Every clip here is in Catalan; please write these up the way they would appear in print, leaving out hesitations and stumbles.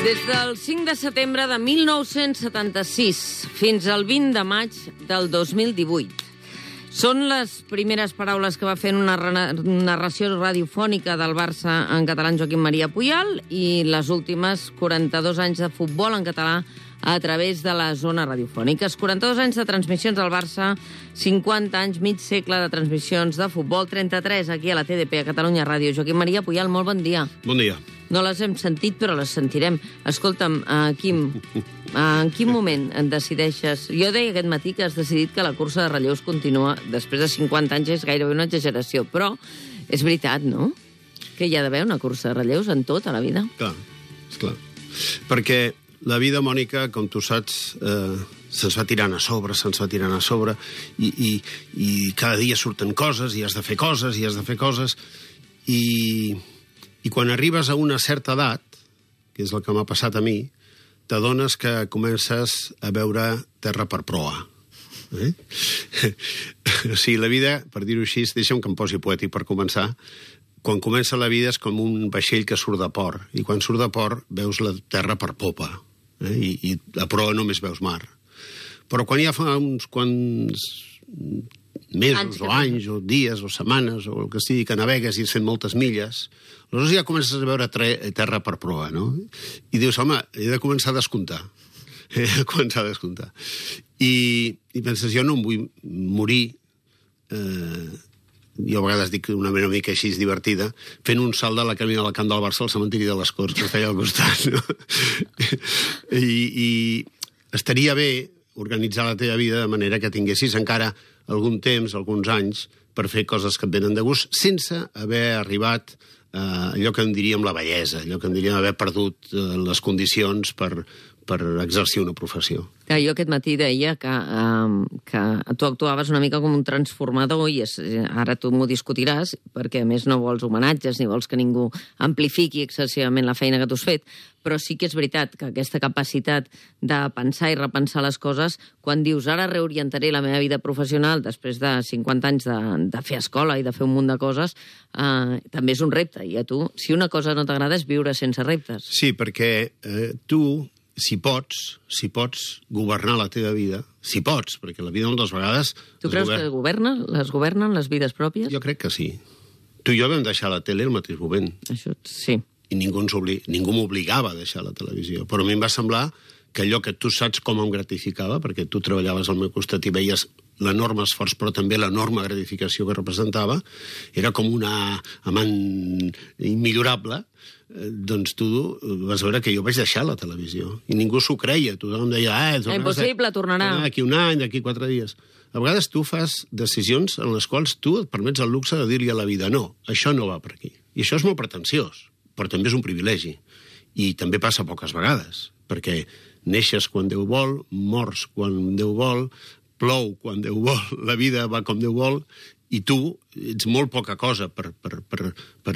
Des del 5 de setembre de 1976 fins al 20 de maig del 2018. Són les primeres paraules que va fer en una narració radiofònica del Barça en català en Joaquim Maria Puyal i les últimes 42 anys de futbol en català a través de les zones radiofòniques. 42 anys de transmissions del Barça, 50 anys, mig segle de transmissions de futbol, 33 aquí a la TDP, a Catalunya Ràdio. Joaquim Maria Puyal, molt bon dia. Bon dia. No les hem sentit, però les sentirem. Escolta'm, Quim, en quin moment et decideixes... Jo deia aquest matí que has decidit que la cursa de relleus continua després de 50 anys, és gairebé una exageració, però és veritat, no? Que hi ha d'haver una cursa de relleus en tot, a la vida. Clar, esclar. Perquè la vida, Mònica, com tu saps, se'ns va tirant a sobre, i cada dia surten coses, i has de fer coses, i quan arribes a una certa edat, que és el que m'ha passat a mi, t'adones que comences a veure terra per proa. O sigui, la vida, per dir-ho així, deixa'm que em posi poètic per començar, quan comença la vida és com un vaixell que surt de port, i quan surt de port veus la terra per popa, i a proa només veus mar. Però quan ja fa uns quants mesos o anys o dies o setmanes o el que sigui que navegues i has fet moltes milles, aleshores ja comences a veure terra per proa, no? I dius, home, he de començar a descomptar. I penses, jo no em vull morir, jo a vegades dic una mica així divertida, fent un salt de la camina del camp del Barça al cementiri de les Corts, que està allà al costat, no? I estaria bé organitzar la teva vida de manera que tinguessis encara algun temps, alguns anys, per fer coses que et venen de gust, sense haver arribat a allò que en diríem la bellesa, allò que en diríem haver perdut les condicions per exercir una professió. Jo aquest matí deia que tu actuaves una mica com un transformador i ara tu m'ho discutiràs perquè a més no vols homenatges ni vols que ningú amplifiqui excessivament la feina que tu has fet, però sí que és veritat que aquesta capacitat de pensar i repensar les coses, quan dius ara reorientaré la meva vida professional després de 50 anys de fer escola i de fer un munt de coses, també és un repte. I a tu, si una cosa no t'agrada és viure sense reptes. Sí, perquè tu... Si pots governar la teva vida, si pots, perquè la vida moltes vegades... Tu creus que les governen les vides pròpies? Jo crec que sí. Tu i jo vam deixar la tele al mateix moment. Això sí. I ningú m'obligava a deixar la televisió. Però a mi em va semblar que allò que tu saps com em gratificava, perquè tu treballaves al meu costat i veies l'enorme esforç, però també l'enorme gratificació que representava, era com una amant immillorable, doncs tu vas veure que jo vaig deixar la televisió. I ningú s'ho creia. Tothom deia, impossible, tornarà. D'aquí un any, d'aquí 4 dies. A vegades tu fas decisions en les quals tu et permets el luxe de dir-li a la vida, no, això no va per aquí. I això és molt pretensiós, però també és un privilegi. I també passa poques vegades, perquè neixes quan Déu vol, mors quan Déu vol, plou quan Déu vol, la vida va com Déu vol, i tu ets molt poca cosa per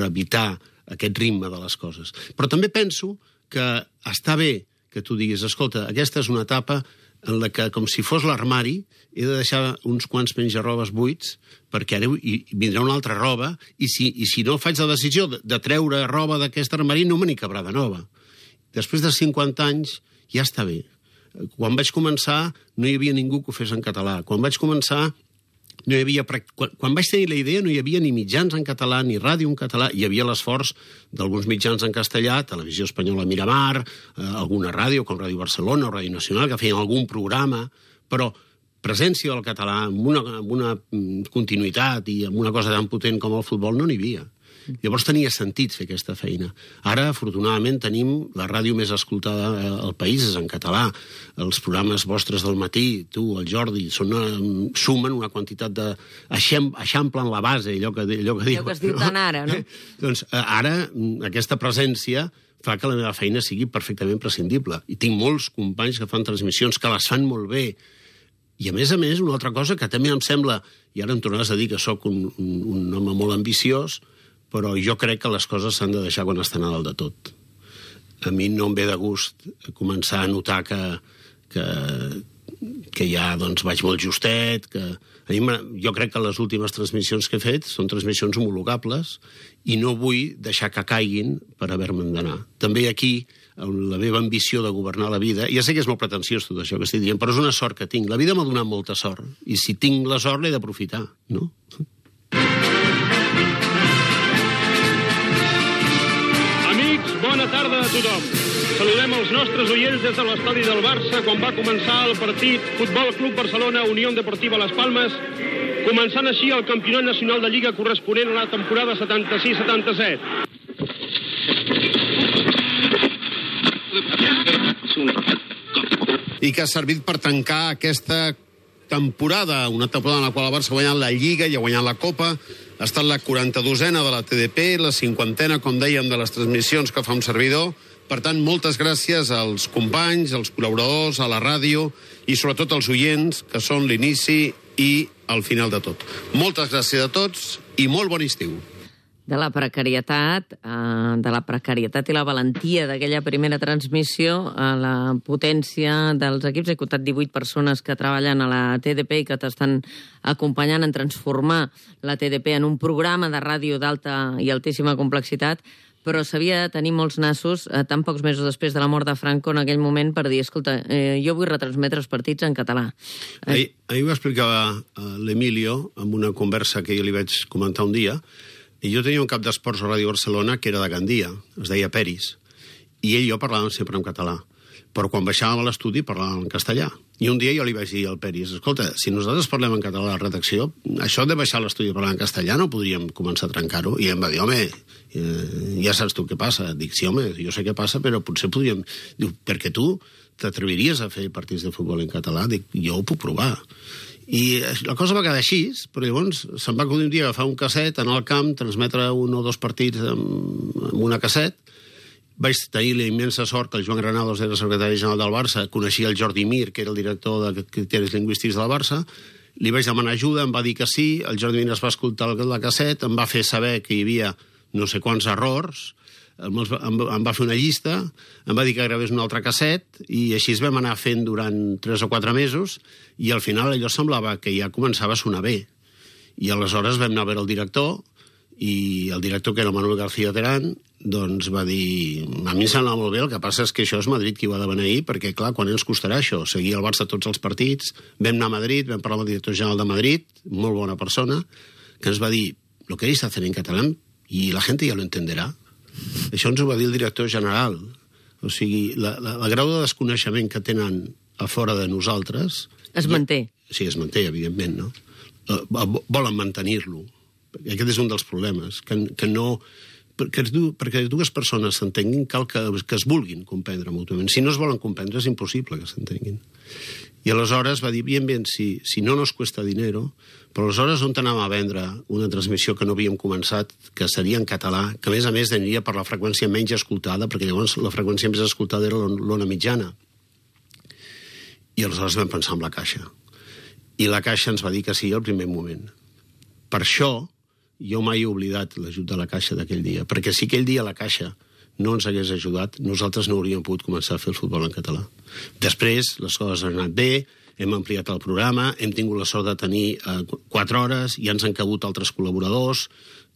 evitar aquest ritme de les coses. Però també penso que està bé que tu diguis, escolta, aquesta és una etapa en la que, com si fos l'armari, he de deixar uns quants menjarrobes buits, perquè ara vindrà una altra roba, i si no faig la decisió de treure roba d'aquest armari, no me n'hi cabrà de nova. Després de 50 anys, ja està bé. Quan vaig començar, no hi havia ningú que ho fes en català. Quan vaig començar, quan vaig tenir la idea, no hi havia ni mitjans en català, ni ràdio en català. Hi havia l'esforç d'alguns mitjans en castellà, Televisió Espanyola Miramar, alguna ràdio, com Ràdio Barcelona o Ràdio Nacional, que feien algun programa, però presència del català amb una continuïtat i amb una cosa tan potent com el futbol no n'hi havia. Llavors tenia sentit fer aquesta feina. Ara, afortunadament, tenim la ràdio més escoltada al país, és en català. Els programes vostres del matí, tu, el Jordi, sumen una quantitat de... eixamplen la base, allò que diu... Allò que es diu tant ara, no? Doncs ara aquesta presència fa que la meva feina sigui perfectament prescindible. I tinc molts companys que fan transmissions, que les fan molt bé. I a més, una altra cosa que també em sembla, i ara em tornaràs a dir que sóc un home molt ambiciós, però jo crec que les coses s'han de deixar quan estan a dalt de tot. A mi no em ve de gust començar a notar que ja vaig molt justet, jo crec que les últimes transmissions que he fet són transmissions homologables i no vull deixar que caiguin per haver-me'n d'anar. També aquí la meva ambició de governar la vida. Ja sé que és molt pretensiós tot això que estic dient, però és una sort que tinc. La vida m'ha donat molta sort, i si tinc la sort l'he d'aprofitar, no? Amics, bona tarda a tothom. Saludem els nostres oients des de l'estadi del Barça quan va començar el partit Futbol Club Barcelona Unión Deportiva Las Palmas, començant així el campionat nacional de Lliga corresponent a la temporada 76-77. I que ha servit per tancar aquesta temporada, una temporada en la qual el Barça ha guanyat la Lliga i ha guanyat la Copa, ha estat la 42a de la TDP, la 50a, com dèiem, de les transmissions que fa un servidor. Per tant, moltes gràcies als companys, als col·laboradors, a la ràdio i sobretot als oients, que són l'inici i el final de tot. Moltes gràcies a tots i molt bon estiu. De la precarietat i la valentia d'aquella primera transmissió a la potència dels equips. He comptat 18 persones que treballen a la TDP i que t'estan acompanyant en transformar la TDP en un programa de ràdio d'alta i altíssima complexitat, però s'havia de tenir molts nassos tan pocs mesos després de la mort de Franco en aquell moment per dir, escolta, jo vull retransmetre els partits en català. Ahir va explicar l'Emilio en una conversa que jo li vaig comentar un dia, i jo tenia un cap d'esports a Ràdio Barcelona que era de Gandia, es deia Peris, i ell i jo parlàvem sempre en català, però quan baixàvem a l'estudi parlàvem en castellà. I un dia jo li vaig dir al Peris, escolta, si nosaltres parlem en català a la redacció, això de baixar a l'estudi i parlar en castellà no podríem començar a trencar-ho? I em va dir, home, ja saps tu què passa. Dic, sí, home, jo sé què passa, però potser podríem... Diu, perquè tu t'atreviries a fer partits de futbol en català? Dic, jo ho puc provar. I la cosa va quedar així, però llavors se'm va acudir un dia agafar un casset, anar al camp, transmetre un o dos partits amb una casset. Vaig tenir la immensa sort que el Joan Granados era secretari general del Barça, coneixia el Jordi Mir, que era el director de criteris lingüístics del Barça, li vaig demanar ajuda, em va dir que sí, el Jordi Mir es va escoltar la casset, em va fer saber que hi havia no sé quants errors, em va fer una llista, em va dir que gravés un altre casset, i així es vam anar fent durant 3 o 4 mesos, i al final allò semblava que ja començava a sonar bé. I aleshores vam anar a veure el director, i el director, que era Manuel García Terán, doncs va dir, a mi em sembla molt bé, el que passa és que això és Madrid qui ho ha de beneir, perquè clar, quan ens costarà això? Seguir el Barça tots els partits, vam anar a Madrid, vam parlar amb el director general de Madrid, molt bona persona, que ens va dir, lo queréis hacer en catalán y la gente ya lo entenderá. Això ens ho va dir el director general. O sigui, la grau de desconeixement que tenen a fora de nosaltres... Es manté. Sí, es manté, evidentment, no? Volen mantenir-lo. Aquest és un dels problemes, que no... Perquè dues persones s'entenguin cal que es vulguin comprendre mútuament. Si no es volen comprendre és impossible que s'entenguin. I aleshores va dir, bien, si no nos cuesta dinero, però aleshores on anàvem a vendre una transmissió que no havíem començat, que seria en català, que a més aniria per la freqüència menys escoltada, perquè llavors la freqüència més escoltada era l'ona mitjana. I aleshores vam pensar en la Caixa. I la Caixa ens va dir que sí al primer moment. Per això jo mai he oblidat l'ajut de la Caixa d'aquell dia, perquè si aquell dia la Caixa no ens hagués ajudat, nosaltres no hauríem pogut començar a fer el futbol en català. Després, les coses han anat bé, hem ampliat el programa, hem tingut la sort de tenir 4 hores, ja ens han cabut altres col·laboradors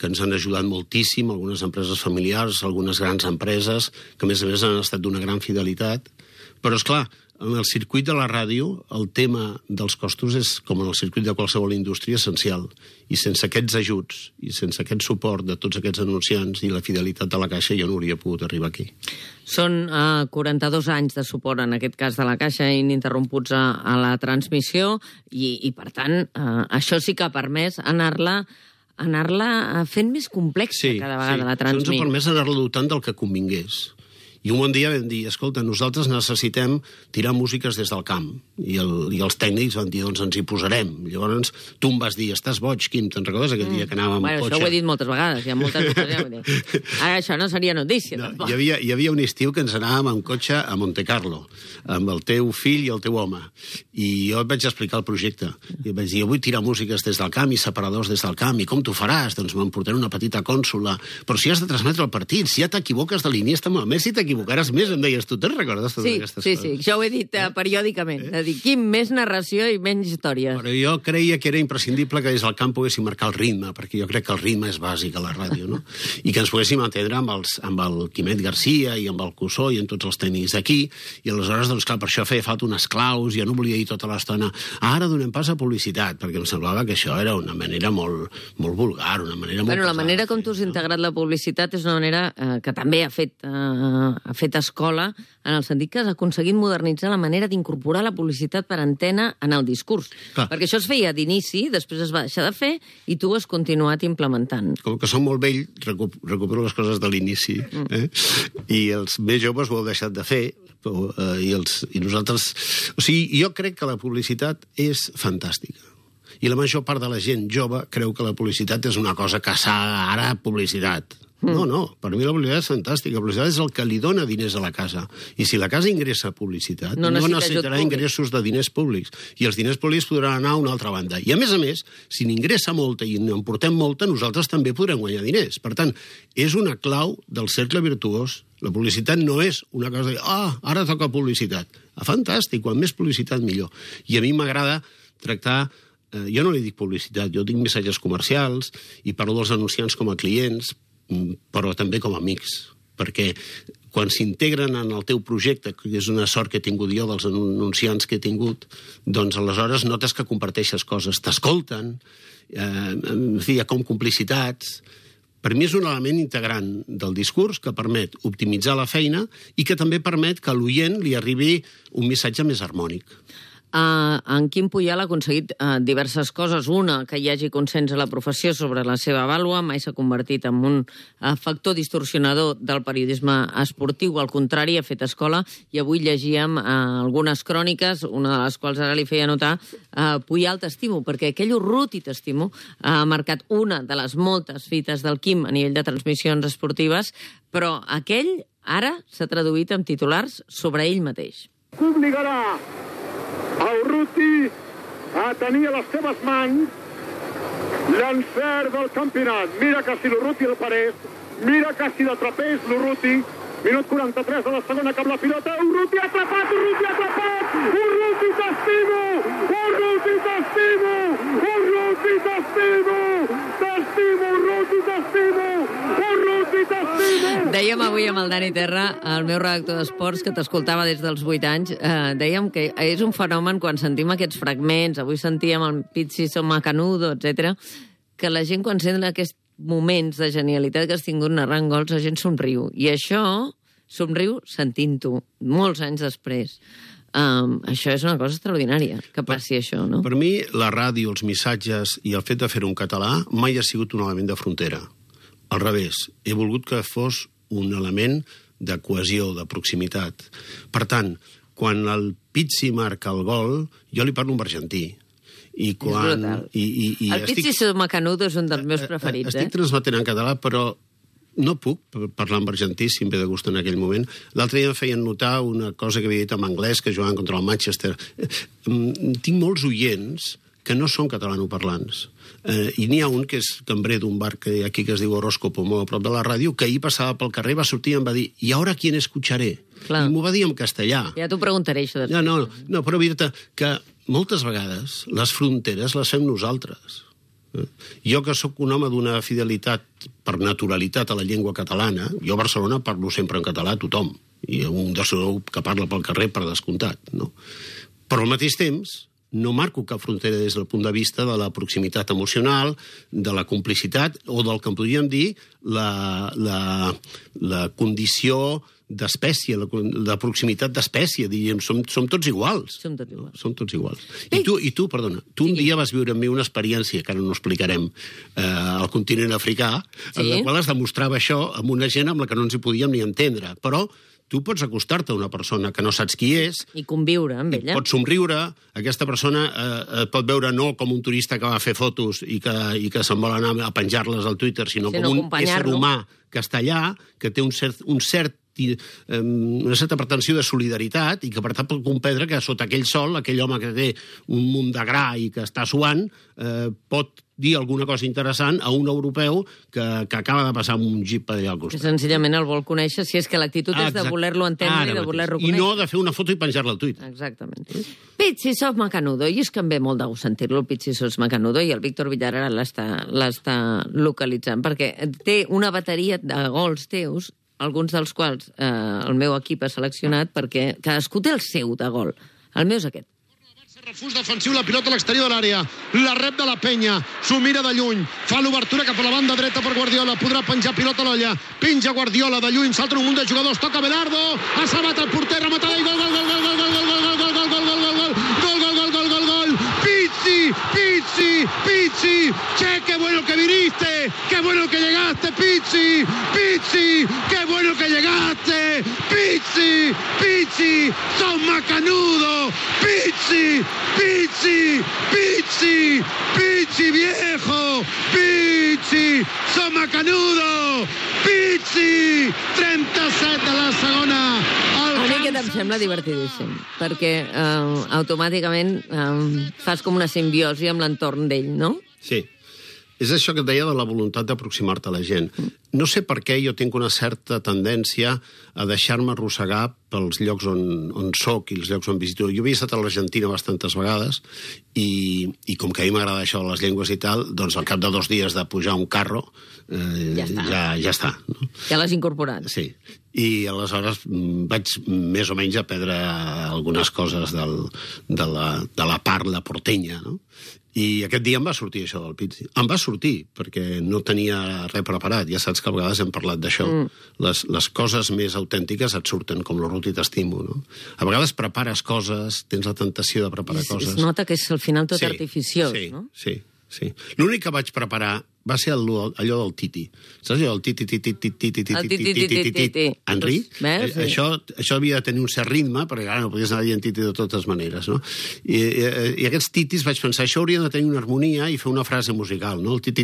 que ens han ajudat moltíssim, algunes empreses familiars, algunes grans empreses, que a més han estat d'una gran fidelitat. Però, esclar, en el circuit de la ràdio, el tema dels costos és, com en el circuit de qualsevol indústria, essencial. I sense aquests ajuts, i sense aquest suport de tots aquests anunciants i la fidelitat de la Caixa, jo no hauria pogut arribar aquí. Són 42 anys de suport, en aquest cas de la Caixa, ininterromputs a la transmissió, i per tant, això sí que ha permès anar-la fent més complexa cada vegada, la transmissió. Això ens ha permès anar-la dotant del que convingués. I un bon dia vam dir, escolta, nosaltres necessitem tirar músiques des del camp. I els tècnics van dir, doncs ens hi posarem. Llavors tu em vas dir, estàs boig, Quim, te'n recordes aquell dia que anàvem amb cotxe? Això ho he dit moltes vegades, hi ha moltes ocasions. Ara això no seria notícia, tampoc. Hi havia un estiu que ens anàvem amb cotxe a Monte Carlo, amb el teu fill i el teu home. I jo et vaig explicar el projecte. I vaig dir, jo vull tirar músiques des del camp i separadors des del camp. I com t'ho faràs? Doncs m'emportaré una petita cònsola. Però si has de transmetre el partit, si ja t'equivoques de l'Iniesta amb el Messi, t'equivocaràs més, em deies tu, te'n recordes totes aquestes coses? Sí, això ho he dit periòdicament. De dir, quin més narració i menys històries. Però jo creia que era imprescindible que des del camp poguéssim marcar el ritme, perquè jo crec que el ritme és bàsic a la ràdio, no? I que ens poguéssim entendre amb el Quimet Garcia i amb el Cussó i amb tots els tècnics d'aquí, i aleshores, doncs clar, per això feia falta unes claus, jo no volia dir tota l'estona, ara donem pas a publicitat, perquè em semblava que això era una manera molt vulgar, una manera molt... La manera com tu has integrat la publicitat és una manera que també ha fet escola, en el sentit que has aconseguit modernitzar la manera d'incorporar la publicitat per antena en el discurs. Clar. Perquè això es feia d'inici, després es va deixar de fer, i tu has continuat implementant. Com que som molt vell, recupero les coses de l'inici. I els més joves ho heu deixat de fer, i nosaltres... O sigui, jo crec que la publicitat és fantàstica. I la major part de la gent jove creu que la publicitat és una cosa que s'ha ara publicitat. No, per mi la publicitat és fantàstica. La publicitat és el que li dona diners a la casa. I si la casa ingressa publicitat, no necessitarà ingressos de diners públics. I els diners públics podran anar a una altra banda. I a més, si n'ingressa molta i en portem molta, nosaltres també podrem guanyar diners. Per tant, és una clau del cercle virtuós. La publicitat no és una cosa de ara toca publicitat. Fantàstic, quan més publicitat millor. I a mi m'agrada tractar... Jo no li dic publicitat, jo dic missatges comercials i parlo dels anunciants com a clients, però també com a amics, perquè quan s'integren en el teu projecte, que és una sort que he tingut jo dels anunciants que he tingut, doncs aleshores notes que comparteixes coses, t'escolten, en fi, hi ha com complicitats. Per mi és un element integrant del discurs que permet optimitzar la feina i que també permet que a l'oient li arribi un missatge més harmònic. En Quim Puyal ha aconseguit diverses coses. Una, que hi hagi consens a la professió sobre la seva vàlua, mai s'ha convertit en un factor distorsionador del periodisme esportiu, al contrari, ha fet escola, i avui llegíem algunes cròniques, una de les quals ara li feia notar, Puyal t'estimo, perquè aquell Urruti t'estimo ha marcat una de les moltes fites del Quim a nivell de transmissions esportives, però aquell ara s'ha traduït en titulars sobre ell mateix. Obligarà a Urruti a tenir a les seves mans l'encert del campionat. Mira que si l'Urruti el parés, mira que si l'atrapés l'Urruti. Minut 43 de la segona, cap la pilota. Urruti atrapat, Urruti atrapat! Urruti t'estimo! Urruti t'estimo! Urruti t'estimo! T'estimo, Urruti t'estimo! Urruti t'estimo! Dèiem avui amb el Dani Terra, el meu redactor d'esports, que t'escoltava des dels 8 anys, dèiem que és un fenomen quan sentim aquests fragments, avui sentíem el Pizzi Macanudo, etc., que la gent quan sent aquests moments de genialitat que has tingut narrant gols, la gent somriu. I això, somriu sentint-ho, molts anys després. Això és una cosa extraordinària, que passi això, no? Per mi, la ràdio, els missatges i el fet de fer-ho en català mai ha sigut un element de frontera. Al revés, he volgut que fos un element de cohesió, de proximitat. Per tant, quan el Pizzi marca el gol, jo li parlo en argentí. És brutal. El Pizzi Macanudo és un dels meus preferits. Estic transmetent en català, però no puc parlar en argentí, si em ve de gust en aquell moment. L'altre dia em feien notar una cosa que havia dit en anglès, que jugaven contra el Manchester. Tinc molts oients que no són catalanoparlants. I n'hi ha un que és cambrer d'un bar que aquí que es diu Horóscopo, molt a prop de la ràdio, que ahir passava pel carrer, va sortir i em va dir «I ara quién escucharé?» Clar. I m'ho va dir en castellà. Ja t'ho preguntaré, això. No, però dir-te que moltes vegades les fronteres les fem nosaltres. Jo, que sóc un home d'una fidelitat per naturalitat a la llengua catalana, jo a Barcelona parlo sempre en català a tothom, i un de segur que parla pel carrer per descomptat, no? Però al mateix temps no marco cap frontera des del punt de vista de la proximitat emocional, de la complicitat, o del que en podríem dir la condició d'espècie, la proximitat d'espècie, diríem, som tots iguals. Som tots iguals. I tu, perdona, un dia vas viure amb mi una experiència, que ara no explicarem, al continent africà, en la qual es demostrava això amb una gent amb la que no ens hi podíem ni entendre, però tu pots acostar-te a una persona que no saps qui és... I conviure amb ella. Pots somriure, aquesta persona et pot veure no com un turista que va a fer fotos i que se'n vol anar a penjar-les al Twitter, sinó com un ésser humà que està allà, que té un cert una certa pretensió de solidaritat i que, per tant, pot comprendre que sota aquell sol, aquell home que té un munt de gra i que està suant, pot dir alguna cosa interessant a un europeu que acaba de passar amb un jeep per allà al Que costat. senzillament el vol conèixer, si és que l'actitud és de voler-lo entendre i de voler-lo I conèixer. no de fer una foto i penjar-la al tuit. Exactament. Pizzi sos macanudo, i és que em ve molt de gust sentir-lo, Pizzi sos macanudo, i el Víctor Villar ara l'està localitzant, perquè té una bateria de gols teus, alguns dels quals el meu equip ha seleccionat, perquè cadascú té el seu de gol. El meu és aquest. Refús defensiu, la pilota a l'exterior de l'àrea, la rep de la Penya, s'ho mira de lluny, fa l'obertura cap a la banda dreta per Guardiola, podrà penjar pilota a l'olla, penja Guardiola de lluny, salta un munt de jugadors, toca Belardo, ha salvat el porter, rematada i gol, gol, gol, gol, gol, gol, gol, gol, gol, gol, gol, gol, gol, gol, gol, gol, gol, gol, Pizzi, Pizzi, Pizzi, che, qué bueno que viniste, qué bueno que llegaste, Pizzi, Pizzi, qué bueno que llegaste, Pizzi, Pizzi, sos macanudo, Pizzi, Pizzi, Pizzi, Pizzi viejo, Pizzi, sos macanudo, Pizzi, 37 a la segona. A mi aquest em sembla divertidíssim, perquè automàticament fas com una simbiosi amb l'entorn d'ell, no? Sí. És això que et deia de la voluntat d'aproximar-te a la gent. No sé per què jo tinc una certa tendència a deixar-me arrossegar pels llocs on soc i els llocs on visito. Jo havia estat a l'Argentina bastantes vegades i com que a mi m'agrada això de les llengües i tal, doncs al cap de 2 dies de pujar un carro ja està. No? Ja l'has incorporat. Sí. I aleshores vaig més o menys aprendre algunes coses de la parla portenya, no? I aquest dia em va sortir això del Pizzi. Em va sortir, perquè no tenia res preparat. Ja saps que a vegades hem parlat d'això. Les coses més autèntiques et surten, com l'Orut i t'estimo, no? A vegades prepares coses, tens la tentació de preparar coses. Es nota que és al final tot artificiós, no? Sí. L'únic que vaig preparar va ser allò del Titi. Saps allò del Titi? Henri? Això havia de tenir un cert ritme, perquè ara no podies anar dient Titi de totes maneres, no? I aquests titis vaig pensar, això hauria de tenir una harmonia i fer una frase musical, no? El Titi,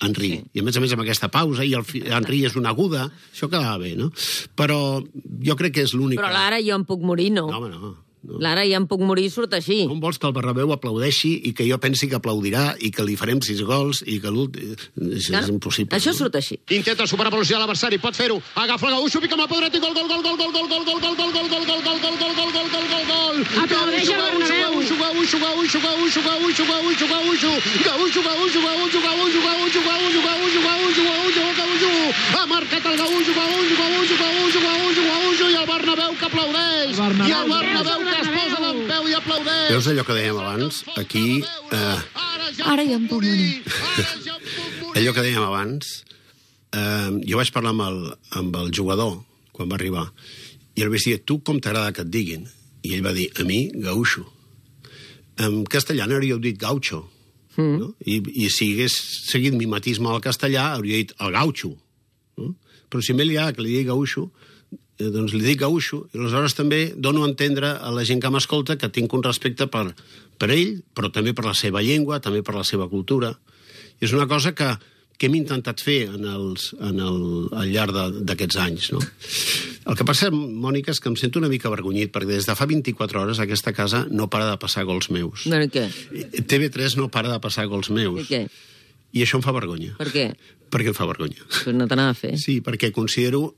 Henri. I a més amb aquesta pausa, i el Henri és una aguda, això quedava bé, no? Però jo crec que és l'únic... Però l'ara jo em puc morir, no? No, home, no. L'ara ja em puc morir, surt així. Com vols que el Bernabéu aplaudeixi i que jo pensi que aplaudirà i que li farem 6 gols i que l'últim... És impossible. Això surt així. Intenta superar velocitat l'adversari, pot fer-ho. Agafa el Gaúcho, pica amb la podra, i gol, gol, gol, gol, gol, gol, gol, gol, gol, gol, gol, gol, gol, gol, gol, gol, gol, gol, gol, gol. Aplaudeix el Bernabéu. Ha marcat el Gaúcho, i el Bernabéu que aplaudeix. I el Bernabéu que es posa d'empeu i aplaudeix. Veus allò que dèiem abans? Aquí... Ara ja em puc morir. Allò que dèiem abans, jo vaig parlar amb el jugador quan va arribar i el vaig dir, tu com t'agrada que et diguin? I ell va dir, a mi, Gaúcho. En castellà hauríeu dit Gaucho. No? I si hagués seguit mimetisme al castellà, hauria dit el Gaucho. No? Però si m'he liat que li digui Gaúcho, doncs li dic Gaúcho, i aleshores també dono a entendre a la gent que m'escolta que tinc un respecte per ell, però també per la seva llengua, també per la seva cultura. I és una cosa que hem intentat fer al llarg d'aquests anys. No? El que passa, Mònica, és que em sento una mica avergonyit, perquè des de fa 24 hores aquesta casa no para de passar gols meus. No, què? TV3 no para de passar gols meus. I què? I això em fa vergonya. Per què? Perquè em fa vergonya. Pues no t'anava a fer. Sí, perquè considero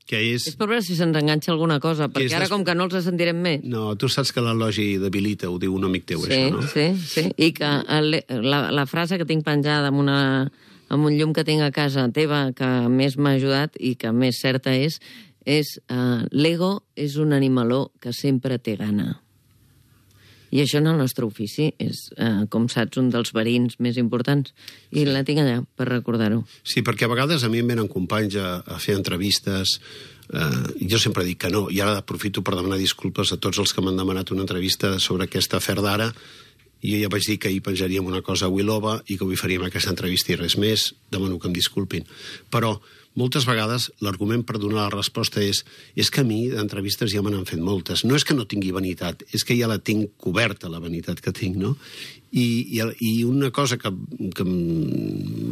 que és... És per veure si se'ns enganxa alguna cosa, perquè ara com que no els sentirem més. No, tu saps que l'elogi debilita, ho diu un amic teu, això, no? Sí. I que la frase que tinc penjada amb un llum que tinc a casa teva, que més m'ha ajudat i que més certa és l'ego és un animaló que sempre té gana. I això en el nostre ofici és, com saps, un dels verins més importants. I la tinc allà per recordar-ho. Sí, perquè a vegades a mi em venen companys a fer entrevistes. Jo sempre dic que no, i ara aprofito per demanar disculpes a tots els que m'han demanat una entrevista sobre aquest afer d'ara. I jo ja vaig dir que hi penjaríem una cosa a Wilova i que avui faríem aquesta entrevista i res més. Demano que em disculpin. Però moltes vegades l'argument per donar la resposta és que a mi d'entrevistes ja me n'han fet moltes. No és que no tingui vanitat, és que ja la tinc coberta, la vanitat que tinc, no? I una cosa que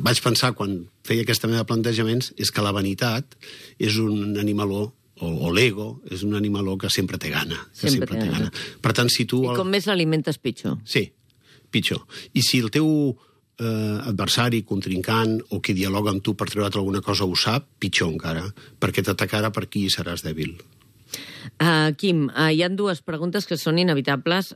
vaig pensar quan feia aquesta meva plantejaments és que la vanitat és un animaló, o l'ego, és un animaló que sempre té gana. Sempre té gana. Per tant, si tu... I com més l'alimentes, pitjor. Sí, pitjor. I si el teu adversari, contrincant o qui dialoga amb tu per treure't alguna cosa ho sap, pitjor encara, perquè t'atacarà per aquí i seràs dèbil. Quim, hi ha dues preguntes que són inevitables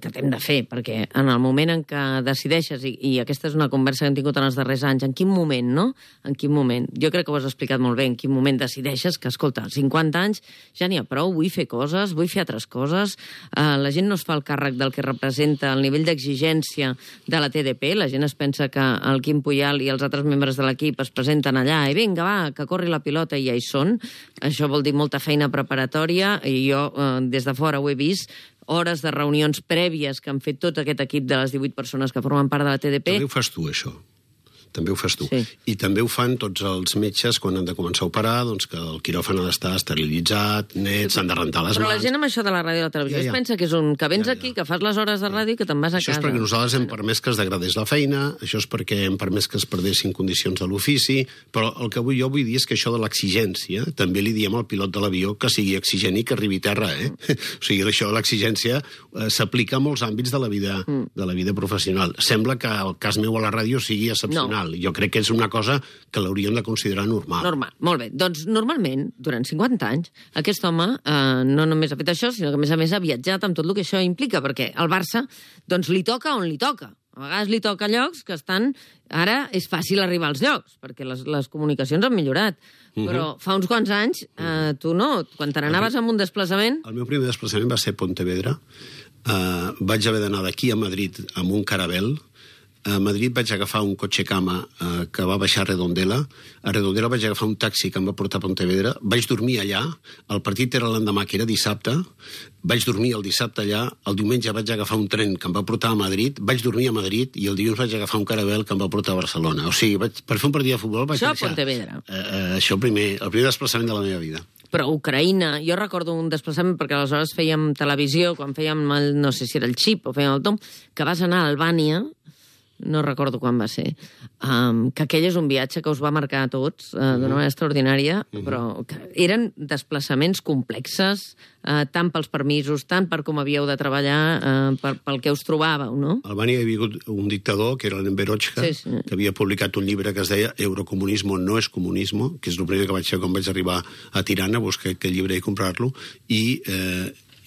que t'hem de fer, perquè en el moment en què decideixes, i aquesta és una conversa que hem tingut en els darrers anys, en quin moment, no? En quin moment? Jo crec que ho has explicat molt bé, en quin moment decideixes que, escolta, 50 anys ja n'hi ha prou, vull fer coses, vull fer altres coses, la gent no es fa el càrrec del que representa el nivell d'exigència de la TDP, la gent es pensa que el Quim Puyal i els altres membres de l'equip es presenten allà i vinga, va, que corri la pilota i ja hi són. Això vol dir molta feina preparatòria, i jo des de fora ho he vist, hores de reunions prèvies que han fet tot aquest equip de les 18 persones que formen part de la TDP. També ho fas tu, això. També ho fas tu. Sí. I també ho fan tots els metges quan han de començar a operar, doncs que el quiròfan ha d'estar esterilitzat, net, s'han de rentar les mans. Però la gent amb això de la ràdio i la televisió es pensa que és que vens aquí, que fas les hores de ràdio i que te'n vas a casa. Això és perquè nosaltres hem permès que es degradés la feina, això és perquè hem permès que es perdessin condicions de l'ofici, però el que jo vull dir és que això de l'exigència, també li diem al pilot de l'avió que sigui exigent i que arribi a terra, O sigui, això de l'exigència s'aplica a molts àmbits de la vida professional. Sembla que el cas meu a la ràdio sigui excepcional. No. Jo crec que és una cosa que l'hauríem de considerar normal. Normal, molt bé. Doncs normalment, durant 50 anys, aquest home no només ha fet això, sinó que a més ha viatjat amb tot el que això implica, perquè al Barça doncs li toca on li toca. A vegades li toca llocs que estan... Ara és fàcil arribar als llocs, perquè les comunicacions han millorat. Però fa uns quants anys, tu no, quan te n'anaves amb un desplaçament... El meu primer desplaçament va ser Pontevedra. Vaig haver d'anar d'aquí a Madrid amb un Caravelle. A Madrid vaig agafar un cotxe cama que va baixar a Redondela. A Redondela vaig agafar un taxi que em va portar a Pontevedra. Vaig dormir allà. El partit era l'endemà, que era dissabte. Vaig dormir el dissabte allà. El diumenge vaig agafar un tren que em va portar a Madrid. Vaig dormir a Madrid i el dilluns vaig agafar un Caravelle que em va portar a Barcelona. O sigui, per fer un partit de futbol vaig deixar... Això a Pontevedra. Això el primer desplaçament de la meva vida. Però Ucraïna, jo recordo un desplaçament, perquè aleshores fèiem televisió, quan fèiem, no sé si era el Xip o fèiem el Tom, que vas anar a Albània, no recordo quan va ser, que aquell és un viatge que us va marcar a tots d'una manera extraordinària, però que eren desplaçaments complexes, tant pels permisos, tant per com havíeu de treballar, pel que us trobàveu, no? A Albània hi havia hagut un dictador, que era l'Enverochka, que havia publicat un llibre que es deia Eurocomunismo no es comunismo, que és el primer que vaig fer quan vaig arribar a Tirana, a buscar aquell llibre i comprar-lo, i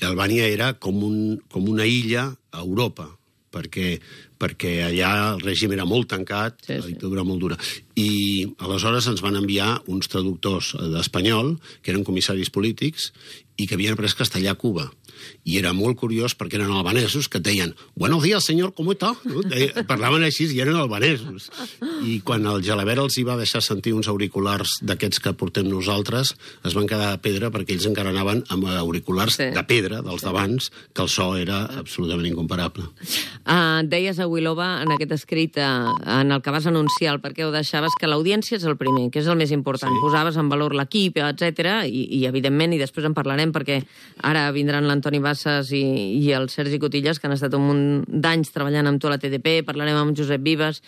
Albània era com una illa a Europa, perquè allà el règim era molt tancat, la dictadura molt dura. I aleshores ens van enviar uns traductors d'espanyol, que eren comissaris polítics, i que havien après castellà a Cuba. I era molt curiós perquè eren albanesos que et deien «Buenos días, señor, ¿cómo está?» Parlaven així i eren albanesos. I quan el Gelabert els hi va deixar sentir uns auriculars d'aquests que portem nosaltres, es van quedar de pedra perquè ells encara anaven amb auriculars de pedra, dels d'abans, que el so era absolutament incomparable. Deies a Wilova, en aquest escrit en el que vas anunciar el per què ho deixaves, que l'audiència és el primer, que és el més important. Posaves en valor l'equip, etc. I evidentment, i després en parlarem, perquè ara vindran l'Antoni Bassas i el Sergi Cotillas, que han estat un munt d'anys treballant amb tu a la TDP, parlarem amb Josep Vives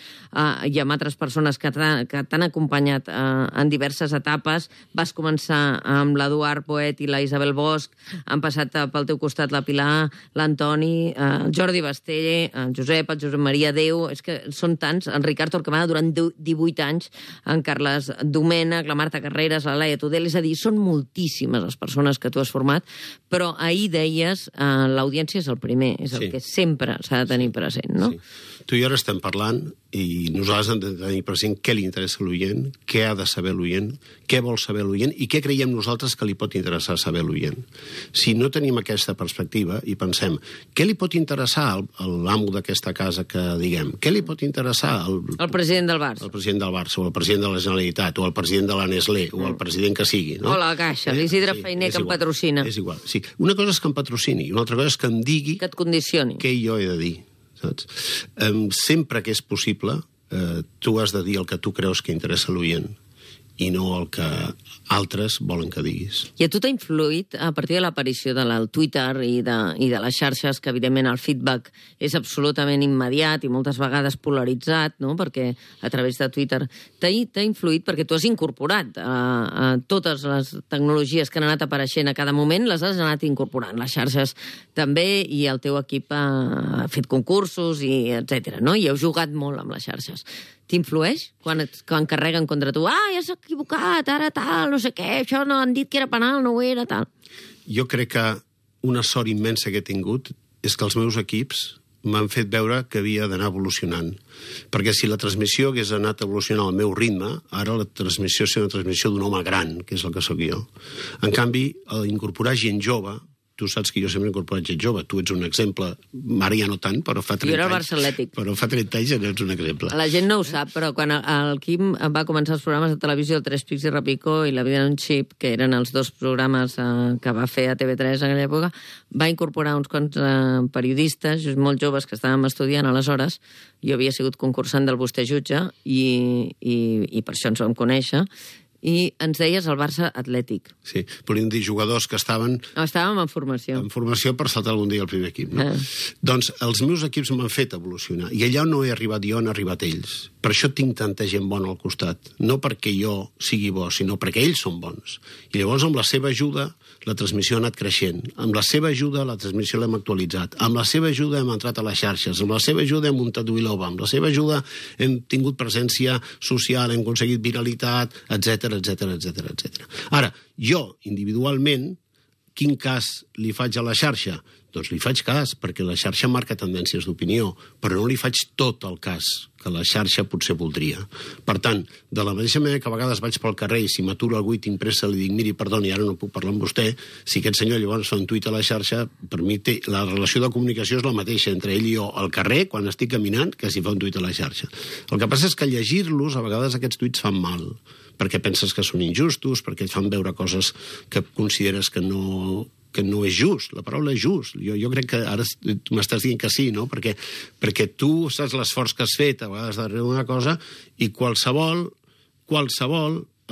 i amb altres persones que t'han acompanyat en diverses etapes. Vas començar amb l'Eduard Poet i la Isabel Bosch, han passat pel teu costat la Pilar, l'Antoni, el Jordi Bastelle, el Josep Maria Déu, és que són tants, en Ricard Torquemada durant 18 anys, en Carles Domènech, la Marta Carreras, la Laia Tudel, és a dir, són moltíssimes les persones que tu has format, però ahir deies l'audiència és el primer, és el que sempre s'ha de tenir present, no? Tu i jo ara estem parlant i nosaltres hem de tenir present què li interessa a l'oient, què ha de saber l'oient, què vol saber l'oient i què creiem nosaltres que li pot interessar saber l'oient. Si no tenim aquesta perspectiva i pensem què li pot interessar a l'amo d'aquesta casa que diguem, què li pot interessar el president del Barça, o el president de la Generalitat, o el president de la Nestlé, o el president que sigui, no? O la Caixa, l'Isidre Feiner, que em patrocina. És igual, sí. Una cosa és que em patrocini i una altra cosa és que em digui que et condicioni. Què jo he de dir. Saps? Sempre que és possible, tu has de dir el que tu creus que interessa a l'oient. i no el que altres volen que diguis. I a tu t'ha influït, a partir de l'aparició del Twitter i de les xarxes, que evidentment el feedback és absolutament immediat i moltes vegades polaritzat, no? Perquè a través de Twitter t'ha influït perquè tu has incorporat a totes les tecnologies que han anat apareixent a cada moment, les has anat incorporant, les xarxes també, i el teu equip ha fet concursos, i etc. No? I heu jugat molt amb les xarxes. T'influeix quan carreguen contra tu? Ja s'ha equivocat, ara tal, no sé què, això no han dit que era penal, no ho era, tal. Jo crec que una sort immensa que he tingut és que els meus equips m'han fet veure que havia d'anar evolucionant. Perquè si la transmissió hagués anat evolucionant al meu ritme, ara la transmissió és una transmissió d'un home gran, que és el que sóc jo. En canvi, incorporar gent jove, tu saps que jo sempre he incorporat gent jove, tu ets un exemple, ara ja no tant, però fa 30 anys... Jo era el Barça Atlètic. Però fa 30 anys ja ets un exemple. La gent no ho sap, però quan el Quim va començar els programes de televisió, el Tres Pics i Repico i La vida en un xip, que eren els dos programes que va fer a TV3 en aquella època, va incorporar uns quants periodistes, molt joves, que estàvem estudiant aleshores. Jo havia sigut concursant del Vostè Jutge i per això ens vam conèixer. I ens deies el Barça Atlètic. Sí, podríem dir jugadors que estaven... Estàvem en formació. En formació per saltar algun dia al primer equip, no? Doncs els meus equips m'han fet evolucionar. I allà no he arribat jo, han arribat ells. Per això tinc tanta gent bona al costat. No perquè jo sigui bo, sinó perquè ells són bons. I llavors, amb la seva ajuda, la transmissió ha anat creixent. Amb la seva ajuda, la transmissió l'hem actualitzat. Amb la seva ajuda hem entrat a les xarxes. Amb la seva ajuda hem muntat Wilova. Amb la seva ajuda hem tingut presència social, hem aconseguit viralitat, etc. Ara, jo, individualment, quin cas li faig a la xarxa? Doncs li faig cas, perquè la xarxa marca tendències d'opinió, però no li faig tot el cas que la xarxa potser voldria. Per tant, de la mateixa manera que a vegades vaig pel carrer i si m'aturo algú i tinc pressa li dic, miri, perdoni, ara no puc parlar amb vostè, si aquest senyor llavors fa un tuit a la xarxa, per mi la relació de comunicació és la mateixa entre ell i jo al carrer, quan estic caminant, que si fa un tuit a la xarxa. El que passa és que llegir-los, a vegades aquests tuits fan mal, perquè penses que són injustos, perquè et fan veure coses que consideres que no és just, la paraula és just. Jo crec que ara tu m'estàs dient que sí, no? Perquè tu saps l'esforç que has fet a vegades darrere una cosa i qualsevol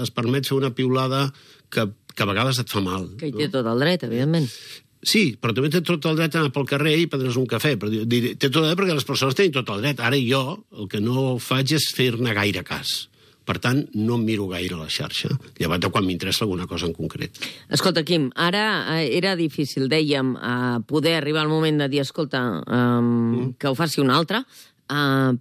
es permet fer una piulada que a vegades et fa mal. Que hi té tot el dret, evidentment. Sí, però també té tot el dret a anar pel carrer i prendre's un cafè. Però té tot el dret perquè les persones tenen tot el dret. Ara jo el que no faig és fer-ne gaire cas. Per tant, no em miro gaire a la xarxa, llevat de quan m'interessa alguna cosa en concret. Escolta, Quim, ara era difícil, dèiem, poder arribar al moment de dir, escolta, que ho faci un altre,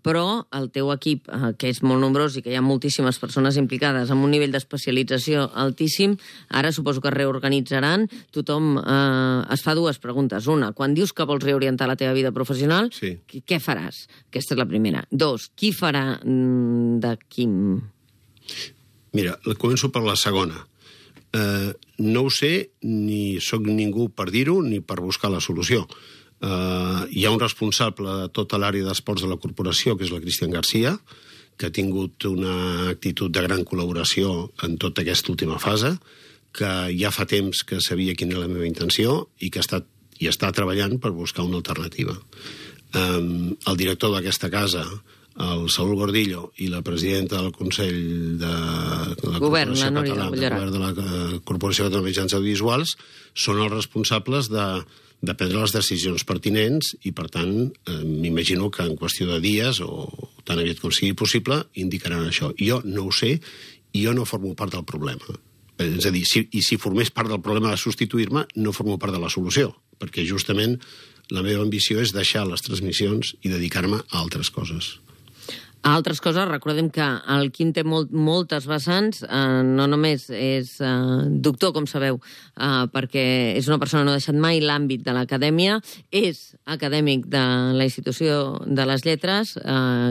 però el teu equip, que és molt nombrós i que hi ha moltíssimes persones implicades amb un nivell d'especialització altíssim, ara suposo que es reorganitzaran. Tothom es fa dues preguntes. Una, quan dius que vols reorientar la teva vida professional, sí. Què faràs? Aquesta és la primera. Dos, qui farà de Quim? Mira, començo per la segona. No ho sé, ni sóc ningú per dir-ho, ni per buscar la solució. Hi ha un responsable de tota l'àrea d'esports de la corporació, que és la Cristian Garcia, que ha tingut una actitud de gran col·laboració en tota aquesta última fase, que ja fa temps que sabia quina era la meva intenció i que està treballant per buscar una alternativa. El director d'aquesta casa, el Saúl Gordillo, i la presidenta del Consell de la Corporació Catalana de la Corporació de Mitjans Audiovisuals són els responsables de prendre les decisions pertinents i, per tant, m'imagino que en qüestió de dies o tan aviat com sigui possible indicaran això. Jo no ho sé i jo no formo part del problema. És a dir, si formés part del problema de substituir-me, no formo part de la solució, perquè justament la meva ambició és deixar les transmissions i dedicar-me a altres coses. A altres coses, recordem que el Quim té moltes vessants, no només és doctor, com sabeu, perquè és una persona que no ha deixat mai l'àmbit de l'acadèmia, és acadèmic de la institució de les lletres,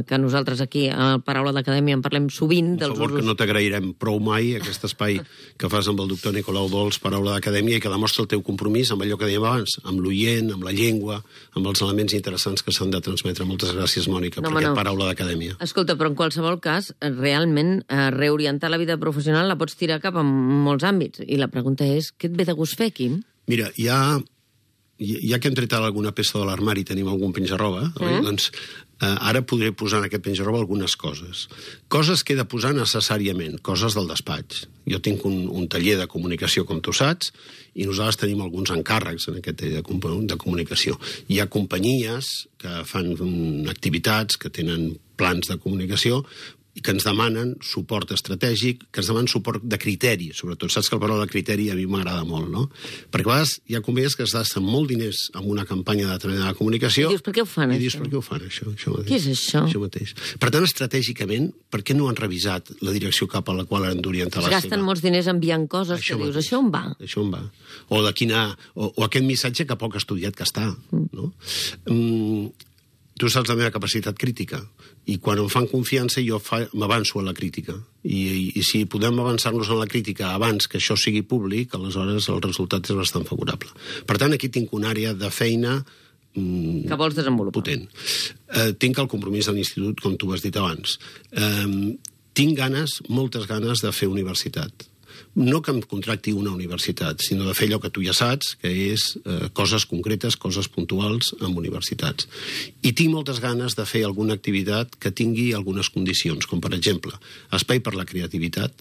que nosaltres aquí a Paraula d'Acadèmia en parlem sovint. Per favor, que no t'agrairem prou mai aquest espai que fas amb el doctor Nicolau Dols, Paraula d'Acadèmia, i que demostra el teu compromís amb allò que dèiem abans, amb l'oient, amb la llengua, amb els elements interessants que s'han de transmetre. Moltes gràcies, Mònica, per aquest Paraula d'Acadèmia. Escolta, però en qualsevol cas, realment, reorientar la vida professional la pots tirar cap a molts àmbits. I la pregunta és, què et ve de gust fer, Quim? Mira, ja que hem tret alguna peça de l'armari i tenim algun penjarroba, doncs Ara podré posar en aquest penja-roba algunes coses. Coses que he de posar necessàriament, coses del despatx. Jo tinc un taller de comunicació, com tu saps, i nosaltres tenim alguns encàrrecs en aquest taller de comunicació. Hi ha companyies que fan activitats, que tenen plans de comunicació, i que ens demanen suport estratègic, que ens demanen suport de criteri, sobretot. Saps que el paraula de criteri a mi m'agrada molt, no? Perquè a vegades hi ha companyies que es gasten molt diners en una campanya de determinada comunicació... I dius, per què ho fan, això? I dius, per què ho fan, això mateix. Què és això? Això mateix. Per tant, estratègicament, per què no han revisat la direcció cap a la qual han d'orientar la seva? Es gasten molts diners enviant coses que dius, això on va? Això on va? O aquest missatge que poc estudiat que està, no? Tu saps la meva capacitat crítica, i quan em fan confiança jo m'avanço a la crítica. I si podem avançar-nos en la crítica abans que això sigui públic, aleshores el resultat és bastant favorable. Per tant, aquí tinc una àrea de feina que vols desenvolupar. Potent. Tinc el compromís de l'institut, com tu has dit abans. Tinc moltes ganes de fer universitat. No que em contracti una universitat, sinó de fer allò que tu ja saps, que és coses concretes, coses puntuals amb universitats. I tinc moltes ganes de fer alguna activitat que tingui algunes condicions, com per exemple, espai per la creativitat,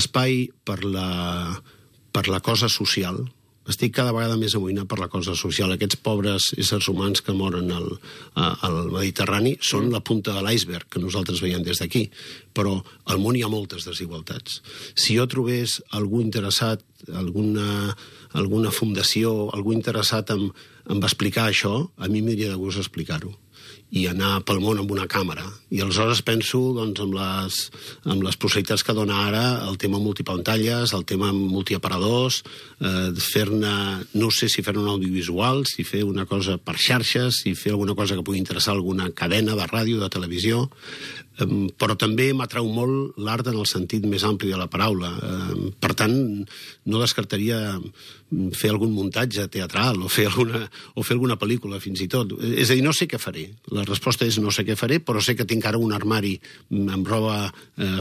espai per la cosa social. Estic cada vegada més amoïnat per la cosa social. Aquests pobres éssers humans que moren al Mediterrani són la punta de l'iceberg que nosaltres veiem des d'aquí, però al món hi ha moltes desigualtats. Si jo trobés algú interessat, alguna fundació, algú interessat en explicar això, a mi m'hauria de gust explicar-ho i anar pel món amb una càmera. I aleshores penso amb les possibilitats que dona ara el tema multipantalles, el tema multiaparadors, fer-ne, no sé si fer-ne un audiovisual, si fer una cosa per xarxes, si fer alguna cosa que pugui interessar alguna cadena de ràdio, de televisió, però també m'atrau molt l'art en el sentit més ampli de la paraula. Per tant, no descartaria fer algun muntatge teatral o fer alguna pel·lícula, fins i tot. És a dir, no sé què faré. La resposta és no sé què faré, però sé que tinc ara un armari amb roba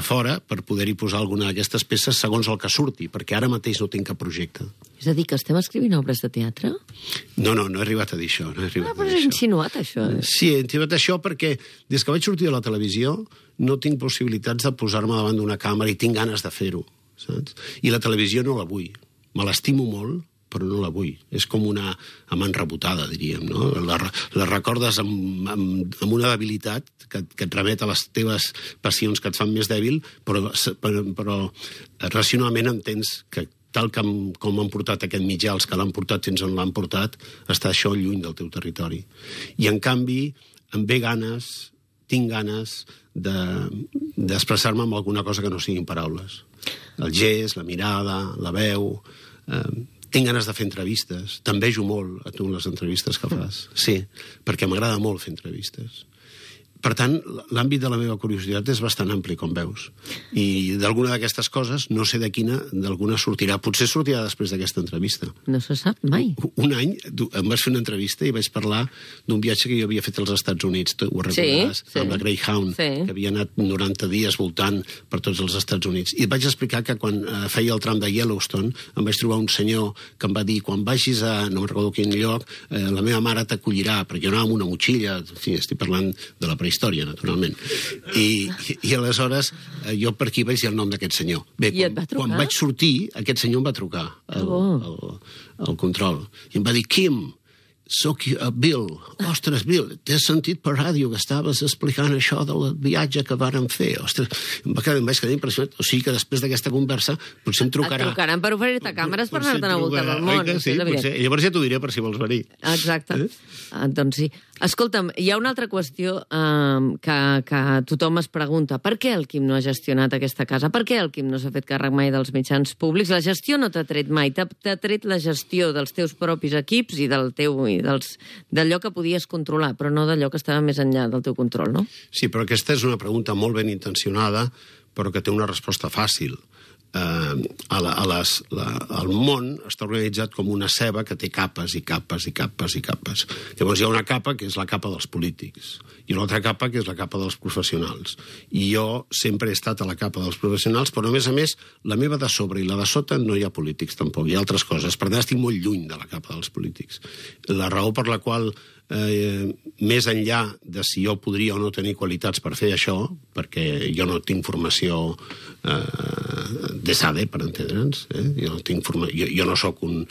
fora per poder-hi posar alguna d'aquestes peces segons el que surti, perquè ara mateix no tinc cap projecte. És a dir, que estem escrivint obres de teatre? No he arribat a dir això. Però has insinuat això. Sí, he insinuat això perquè des que vaig sortir de la televisió no tinc possibilitats de posar-me davant d'una càmera i tinc ganes de fer-ho, saps? I la televisió no la vull. Me l'estimo molt, però no la vull. És com una amant rebotada, diríem, no? La recordes amb una debilitat que et remet a les teves passions que et fan més dèbil, però racionalment entens que tal com han portat aquest mitjà, els que l'han portat fins on l'han portat, està això lluny del teu territori. I, en canvi, em ve ganes, tinc ganes d'expressar-me amb alguna cosa que no siguin paraules. El gest, la mirada, la veu... Tinc ganes de fer entrevistes. T'envejo molt a tu les entrevistes que fas. Sí, perquè m'agrada molt fer entrevistes. Per tant, l'àmbit de la meva curiositat és bastant ampli, com veus. I d'alguna d'aquestes coses, no sé d'alguna sortirà. Potser sortirà després d'aquesta entrevista. No se sap mai. Un any em vas fer una entrevista i vaig parlar d'un viatge que jo havia fet als Estats Units, ho recordaràs, amb la Greyhound, que havia anat 90 dies voltant per tots els Estats Units. I et vaig explicar que quan feia el tram de Yellowstone em vaig trobar un senyor que em va dir, quan vagis a no recordo quin lloc, la meva mare t'acollirà, perquè jo anava amb una motxilla, en fi, estic parlant de la prehistòria, naturalment. I aleshores jo per aquí vaig dir el nom d'aquest senyor. Bé, quan vaig sortir, aquest senyor em va trucar al control i em va dir, Kim, soc Bill. Ostres, Bill, t'he sentit per ràdio que estaves explicant això del viatge que vàrem fer. Ostres, em vaig quedar impressionat. O sigui que després d'aquesta conversa potser em trucarà... Et trucaran per oferir-te càmeres per anar-te'n a voltar del món. Sí, potser. Llavors ja t'ho diré per si vols venir. Exacte. Doncs sí. Escolta'm, hi ha una altra qüestió que tothom es pregunta. Per què el Quim no ha gestionat aquesta casa? Per què el Quim no s'ha fet càrrec mai dels mitjans públics? La gestió no t'ha tret mai. T'ha tret la gestió dels teus propis equips i d'allò que podies controlar, però no d'allò que estava més enllà del teu control, no? Sí, però aquesta és una pregunta molt ben intencionada, però que té una resposta fàcil. El món està organitzat com una ceba que té capes i capes i capes i capes. Llavors hi ha una capa que és la capa dels polítics i una altra capa que és la capa dels professionals. I jo sempre he estat a la capa dels professionals, però a més, la meva de sobre i la de sota no hi ha polítics tampoc, hi ha altres coses. Per tant, estic molt lluny de la capa dels polítics. La raó per la qual més enllà de si jo podria o no tenir qualitats per fer això, perquè jo no tinc formació de SADE, per entendre'ns, jo no sóc un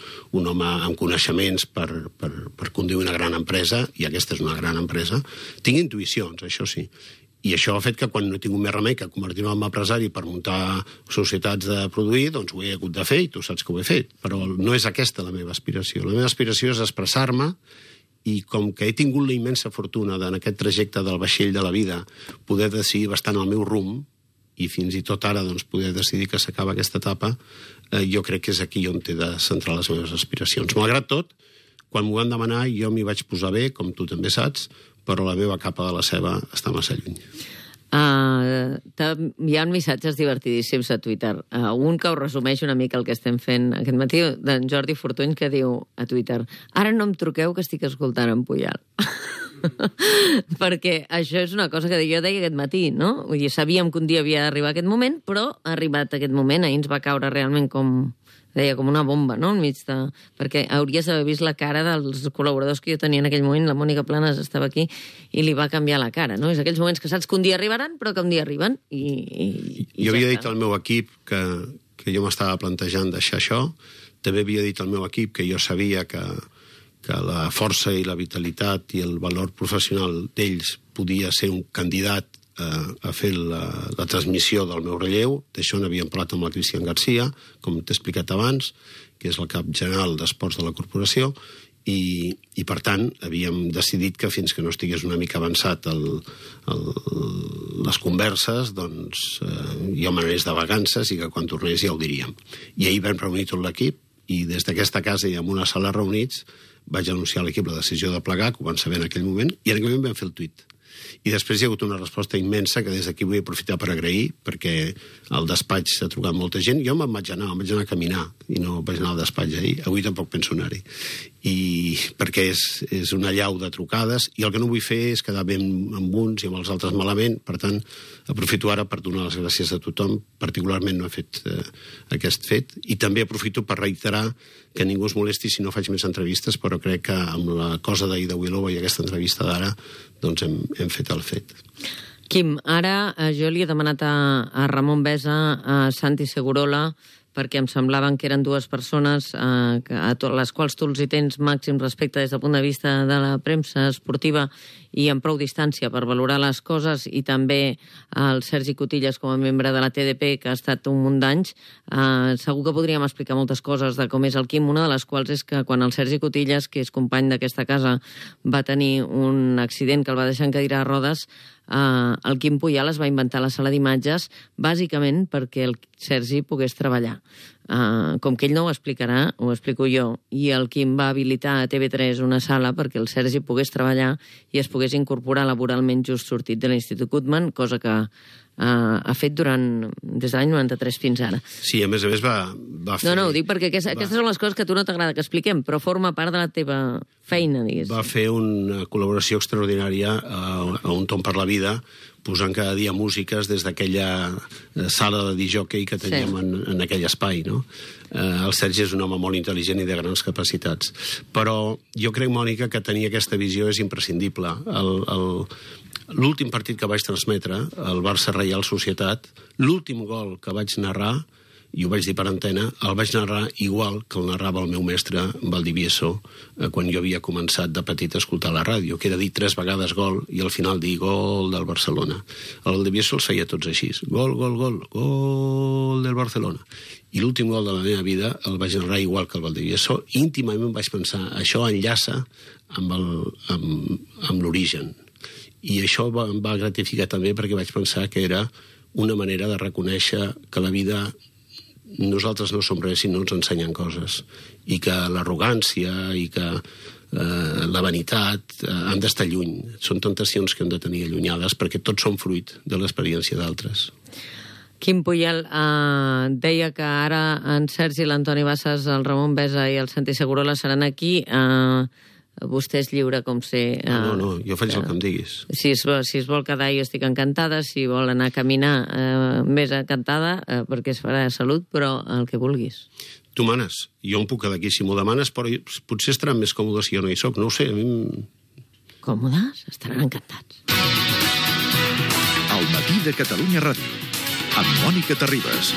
home amb coneixements per conduir una gran empresa, i aquesta és una gran empresa. Tinc intuïcions, això sí. I això ha fet que quan no he tingut més remei que convertir-me en empresari per muntar societats de produir, doncs ho he hagut de fer i tu saps que ho he fet. Però no és aquesta la meva aspiració. La meva aspiració és expressar-me i com que he tingut la immensa fortuna en aquest trajecte del vaixell de la vida poder decidir bastant el meu rumb i fins i tot ara doncs, poder decidir que s'acaba aquesta etapa, jo crec que és aquí on he de centrar les meves aspiracions. Malgrat tot, quan m'ho van demanar jo m'hi vaig posar bé, com tu també saps, però la meva capa de la ceba està massa lluny. Hi ha missatges divertidíssims a Twitter. Un que ho resumeix una mica el que estem fent aquest matí, d'en Jordi Fortuny, que diu a Twitter: ara no em truqueu que estic escoltant en Pujal. Perquè això és una cosa que jo deia aquest matí, no? Vull dir, sabíem que un dia havia d'arribar aquest moment, però ha arribat aquest moment. Ahir ens va caure realment com una bomba, no? Enmig de... Perquè hauries d'haver vist la cara dels col·laboradors que jo tenia en aquell moment. La Mònica Planas estava aquí i li va canviar la cara, no? És aquells moments que saps que un dia arribaran, però que un dia arriben i jo havia dit al meu equip que jo m'estava plantejant deixar això. També havia dit al meu equip que jo sabia que la força i la vitalitat i el valor professional d'ells podia ser un candidat a fer la transmissió del meu relleu. D'això n'havíem parlat amb la Cristian Garcia, com t'he explicat abans, que és el cap general d'esports de la corporació, i per tant havíem decidit que fins que no estigués una mica avançat les converses, doncs jo m'anés de vacances i que quan tornés ja ho diríem. I ahir vam reunir tot l'equip i des d'aquesta casa i en una sala reunits vaig anunciar a l'equip la decisió de plegar, que ho van saber en aquell moment, i en aquell moment vam fer el tuit. I després hi ha hagut una resposta immensa que des d'aquí vull aprofitar per agrair, perquè al despatx s'ha trucat molta gent. Jo me'n vaig anar a caminar i no vaig anar al despatx ahir. Avui tampoc penso anar-hi. Perquè és una llau de trucades i el que no vull fer és quedar bé amb uns i amb els altres malament. Per tant, aprofito ara per donar les gràcies a tothom. Particularment no he fet aquest fet. I també aprofito per reiterar que ningú es molesti si no faig més entrevistes, però crec que amb la cosa d'ahir de Willowa i aquesta entrevista d'ara doncs hem fet el fet. Quim, ara jo li he demanat a Ramon Besa, a Santi Segurola, perquè em semblaven que eren dues persones a les quals tu els hi tens màxim respecte des del punt de vista de la premsa esportiva i amb prou distància per valorar les coses, i també el Sergi Cotillas com a membre de la TDP, que ha estat un munt d'anys. Segur que podríem explicar moltes coses de com és el Quim, una de les quals és que quan el Sergi Cotillas, que és company d'aquesta casa, va tenir un accident que el va deixar en cadira de rodes, el Quim Pujal es va inventar la sala d'imatges bàsicament perquè el Sergi pogués treballar. Com que ell no ho explicarà, ho explico jo, i el Quim va habilitar a TV3 una sala perquè el Sergi pogués treballar i es pogués incorporar laboralment just sortit de l'Institut Guttmann, cosa que ha fet des de l'any 93 fins ara. Sí, a més va fer... No, ho dic perquè aquestes són les coses que a tu no t'agrada que expliquem, però forma part de la teva feina, diguéssim. Va fer una col·laboració extraordinària a Un Tom per la Vida, posant cada dia músiques des d'aquella sala de disc-jockey que teníem en aquell espai, no? El Sergi és un home molt intel·ligent i de grans capacitats. Però jo crec, Mònica, que tenir aquesta visió és imprescindible. L'últim partit que vaig transmetre, el Barça Reial Societat, l'últim gol que vaig narrar, i ho vaig dir per antena, el vaig narrar igual que el narrava el meu mestre Valdivieso quan jo havia començat de petit a escoltar la ràdio, que era dir 3 vegades gol i al final dir gol del Barcelona. El Valdivieso els feia tots així, gol, gol, gol, gol del Barcelona. I l'últim gol de la meva vida el vaig narrar igual que el Valdivieso. Íntimament vaig pensar, això enllaça amb l'origen. I això em va gratificar també perquè vaig pensar que era una manera de reconèixer que la vida, nosaltres no som res si no ens ensenyen coses, i que l'arrogància i que la vanitat han d'estar lluny. Són tentacions que hem de tenir allunyades perquè tots som fruit de l'experiència d'altres. Quim Pujal deia que ara en Sergi, l'Antoni Bassas, el Ramon Besa i el Santi Segurola seran aquí. Vostè és lliure, com sé... No, jo faig el que em diguis. Si es vol quedar, jo estic encantada. Si vol anar a caminar, més encantada, perquè es farà de salut, però el que vulguis. Tu manes. Jo em puc quedar aquí si m'ho demanes, però potser estaran més còmodes si jo no hi soc. No ho sé, a mi còmodes, estaran encantats. El matí de Catalunya Ràdio, amb Mònica Terribas.